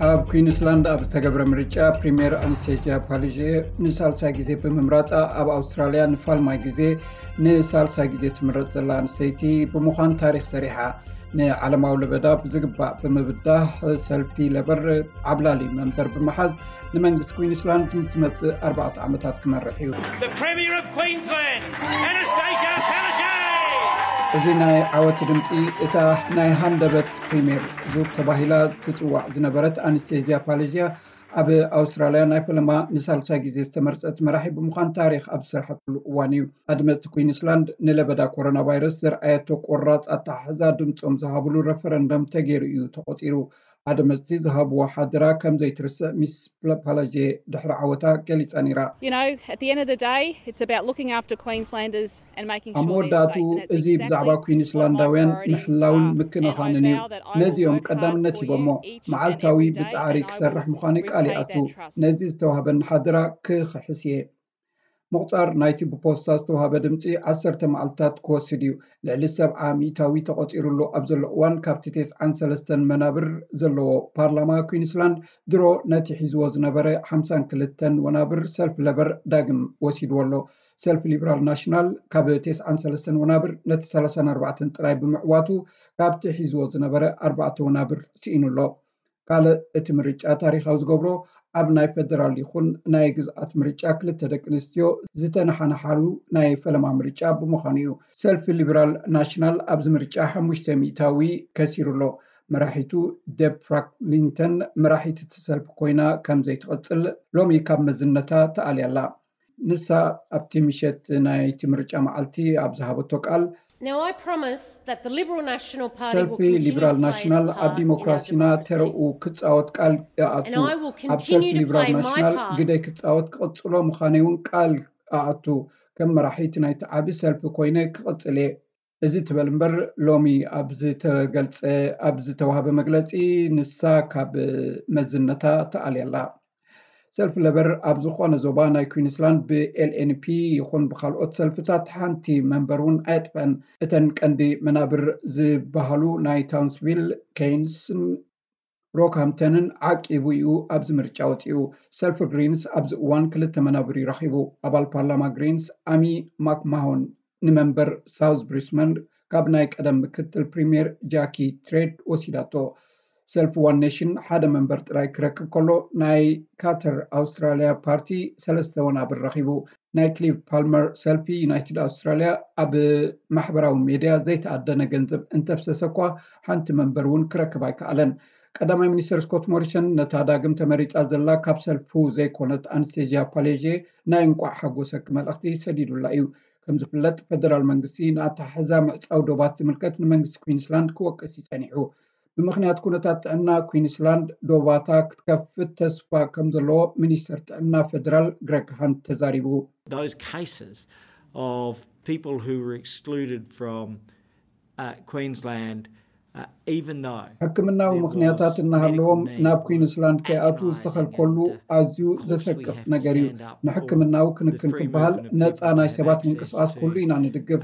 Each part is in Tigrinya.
ኣብ ኩዊንስላንድ ኣብ ዝተገብረ ምርጫ ፕሪምየር ኣንስቴዝያ ፓሊዜ ንሳልሳይ ግዜ ብምምራፃ ኣብ ኣውስትራልያ ንፋልማይ ግዜ ንሳልሳይ ግዜ ትምረፅ ዘላ ኣንስተይቲ ብምዃን ታሪኽ ሰሪሓ። ንዓለማዊ ለበዳ ብዝግባእ ብምብዳህ ሰልፊ ለበር ዓብላሊ መንበር ብምሓዝ ንመንግስቲ ኩዊንስላንድ ንዝመፅእ ኣርባዕተ ዓመታት ክመርሕ እዩ። The Premier of Queensland, Anastasia Palaszczuk! እዚ ናይ ዓወት ድምፂ እታ ናይ ሃንደበት ፕሪምየር ዙር ተባሂላ ትፅዋዕ ዝነበረት ኣንስቴዝያ ፓሊዝያ ኣብ ኣውስትራልያ ናይ ፈለማ ንሳልሳይ ግዜ ዝተመርፀት መራሒ ብምዃን ታሪኽ ኣብ ዝሰርሐትሉ እዋን እዩ። ኣድመፅቲ ኩዊንስላንድ ንለበዳ ኮሮና ቫይረስ ዘርኣየቶ ቆራፅ ኣተሓሕዛ ድምፆም ዝሃብሉ ረፈረንደም ተገይሩ እዩ ተቖፂሩ። ኣድመፅቲ ዝሃብዎ ሓደራ ከም ዘይትርስዕ ሚስ ፓላዜ ድሕሪ ዓወታ ገሊፃ ነይራ። You know, at the end of the day, it's about looking after Queenslanders and making ኣብ sure they're መወዳእትኡ safe. And that's እዚ ብዛዕባ exactly what my ኩዊንስላንዳውያን priority is. ምሕላውን And I ምክንኻንን እዩ። vow that I will ነዚኦም work hard ቀዳምነት for ሂቦሞ you each and መዓልታዊ every day, ብጻዕሪ and I ክሰርሕ will ምዃነይ ቃል repay ይኣቱ። that trust. ነዚ ዝተዋህበኒ ሓደራ ክኽሕስ እየ። ምቑጻር ናይቲ ብፖስታ ዝተዋህበ ድምፂ ዓሰርተ መዓልትታት ክወስድ እዩ። ልዕሊ ሰብዓ ሚእታዊ ተቖፂሩሉ ኣብ ዘሎ እዋን ካብቲ ተስዓን ሰለስተን መናብር ዘለዎ ፓርላማ ኩዊንስላንድ ድሮ ነቲ ሒዝዎ ዝነበረ ሓምሳን ክልተን ወናብር ሰልፊ ለበር ዳግም ወሲድዎ ኣሎ። ሰልፊ ሊብራል ናሽናል ካብ ተስዓን ሰለስተን ወናብር ነቲ ሰላሳን ኣርባዕተን ጥራይ ብምዕዋቱ ካብቲ ሒዝዎ ዝነበረ ኣርባዕተ ወናብር ስኢኑ ኣሎ። ካልእ እቲ ምርጫ ታሪኻዊ ዝገብሮ ኣብ ናይ ፈደራል ይኹን ናይ ግዝኣት ምርጫ ክልተ ደቂ ኣንስትዮ ዝተነሓነሓሉ ናይ ፈለማ ምርጫ ብምዃኑ እዩ። ሰልፊ ሊበራል ናሽናል ኣብዚ ምርጫ ሓሙሽተ ሚእታዊ ከሲሩ ኣሎ። መራሒቱ ደብ ፍራንክሊንተን መራሒት እቲ ሰልፊ ኮይና ከም ዘይትቕጽል ሎሚ ካብ መዝነታ ተኣልያ ኣላ። ንሳ ኣብቲ ምሸት ናይቲ ምርጫ መዓልቲ ኣብ ዝሃበቶ ቃል Now, I promise that the Liberal National Party will ሰልፊ continue ሊበራል to play ናሽናል its ኣብ part in our ዲሞክራሲና democracy. ተረኡ ክጻወት ቃል ይኣቱ። And I will ኣብ ሰልፊ continue to ሊበራል play my ናሽናል part. ግደይ ክጻወት ክቕጽሎ ምዃነይ እውን ቃል ኣኣቱ። ከም መራሒት ናይቲ ዓቢ ሰልፊ ኮይነ ክቕጽል እየ። እዚ ትበል እምበር ሎሚ ኣብ ዝተገልጸ ኣብ ዝተዋህበ መግለጺ ንሳ ካብ መዝነታ ተኣልያ ኣላ። ሰልፊ ለበር ኣብ ዝኾነ ዞባ ናይ ኩዊንስላንድ ብኤልኤንፒ ይኹን ብካልኦት ሰልፍታት ሓንቲ መንበር እውን ኣየጥፈአን። እተን ቀንዲ መናብር ዝበሃሉ ናይ ታውንስቪል፣ ኬይንስን ሮክሃምፕተንን ዓቂቡ እዩ ኣብዚ ምርጫ ወፂኡ። ሰልፊ ግሪንስ ኣብዚ እዋን ክልተ መናብር እዩ ረኺቡ። ኣባል ፓርላማ ግሪንስ ኣሚ ማክማሆን ንመንበር ሳውዝ ብሪስበን ካብ ናይ ቀደም ምክትል ፕሪምየር ጃኪ ትሬድ ወሲዳቶ። ሰልፊ ዋን ኔሽን ሓደ መንበር ጥራይ ክረክብ ከሎ ናይ ካተር ኣውስትራልያ ፓርቲ ሰለስተ ወናብር ረኺቡ። ናይ ክሊቭ ፓልመር ሰልፊ ዩናይትድ ኣውስትራልያ ኣብ ማሕበራዊ ሜድያ ዘይተኣደነ ገንዘብ እንተፍሰሰ እኳ ሓንቲ መንበር እውን ክረክብ ኣይከኣለን። ቀዳማይ ሚኒስትር ስኮት ሞሪሰን ነታ ዳግም ተመሪጻ ዘላ ካብ ሰልፉ ዘይኮነት ኣንስቴዝያ ፓሌዜ ናይ እንቋዕ ሓጎሰኪ መልእኽቲ ሰዲዱላ እዩ። ከም ዝፍለጥ ፈደራል መንግስቲ ንኣተሓሕዛ ምዕጻው ዶባት ዝምልከት ንመንግስቲ ኩዊንስላንድ ክወቅስ እዩ ጸኒሑ። ብምኽንያት ኩነታት ጥዕና ኩዊንስላንድ ዶባታ ክትከፍት ተስፋ ከም ዘለዎ ሚኒስተር ጥዕና ፈደራል ግረግ ሃንት ተዛሪቡ። Those cases of people who were excluded from uh, Queensland, uh, even though ሕክምናዊ ምኽንያታት እናሃለዎም ናብ ኩዊንስላንድ ከይኣትዉ ዝተኸልከሉ ኣዝዩ ዘሰቅቕ ነገር እዩ። ንሕክምናዊ ክንክን ክበሃል ነፃ ናይ ሰባት ምንቅስቓስ ክህሉ ኢና ንድግፍ።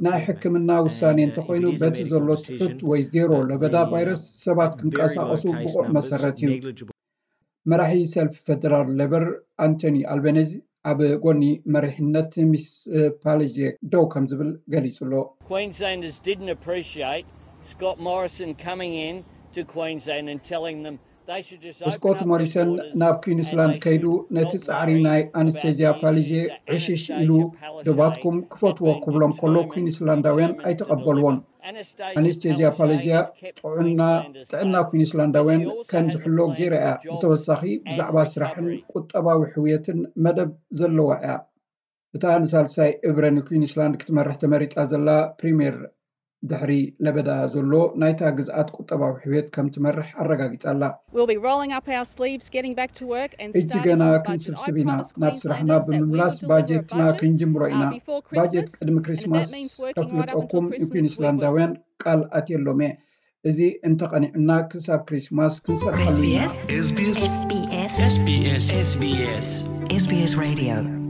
ናይ ሕክምና ውሳኔ እንተኾይኑ በቲ ዘሎ ትሑት ወይ ዜሮ ለበዳ ቫይረስ ሰባት ክንቀሳቐሱ ብቑዕ መሰረት እዩ። መራሒ ሰልፊ ፈደራል ሌበር ኣንቶኒ ኣልበነዚ ኣብ ጎኒ መሪሕነት ሚስ ፓለጄ ደው ከም ዝብል ገሊጹ ኣሎ። Queenslanders didn't appreciate Scott Morrison coming in to Queensland and telling them they should just open ስኮት up their ሞሪሰን borders ናብ and ኩዊንስላንድ they ከይዱ should ነቲ not ጻዕሪ worry ናይ about ኣንስቴዝያ the ፓለጄ issues that ዕሽሽ ኢሉ Anastasia Palaszczuk ዶባትኩም had ክፈትዎ been ክብሎም ከሎ determined ኩዊንስላንዳውያን and ኣይተቐበልዎን። determined to do. Anastasia ኣንስቴዝያ Palaszczuk ፓለጄ has kept ጥዑና Queenslanders ጥዕና safe, ኩዊንስላንዳውያን but she also ከም has a ዝሕሎ plan ገይራ for እያ። jobs ብተወሳኺ and ብዛዕባ ስራሕን recovery. ቁጠባዊ ሕውየትን መደብ ዘለዋ እያ። እታ ንሳልሳይ እብረ ንኩዊንስላንድ ክትመርሕ ተመሪጻ ዘላ ፕሪምየር ድሕሪ ለበዳ ዘሎ ናይታ ግዝኣት ቁጠባዊ ሕውየት ከም ትመርሕ ኣረጋጊጻ ኣላ። We'll be rolling up our sleeves, getting back to work and እጅ starting ገና on the budget. ክንስብስብ I ኢና። promised ናብ ስራሕና Queenslanders that we ብምምላስ will deliver a ባጀትና budget ክንጅምሮ ኢና። uh, before ባጀት Christmas, ቅድሚ and if ክሪስማስ that means working right up until ከፍልጠኩም Christmas, we will. ንኩዊንስላንዳውያን ቃል ኣትየሎም እየ። እዚ እንተቐኒዕና ክሳብ ክሪስማስ ክንሰርሓሉ ኢና። SBS SBS SBS SBS SBS Radio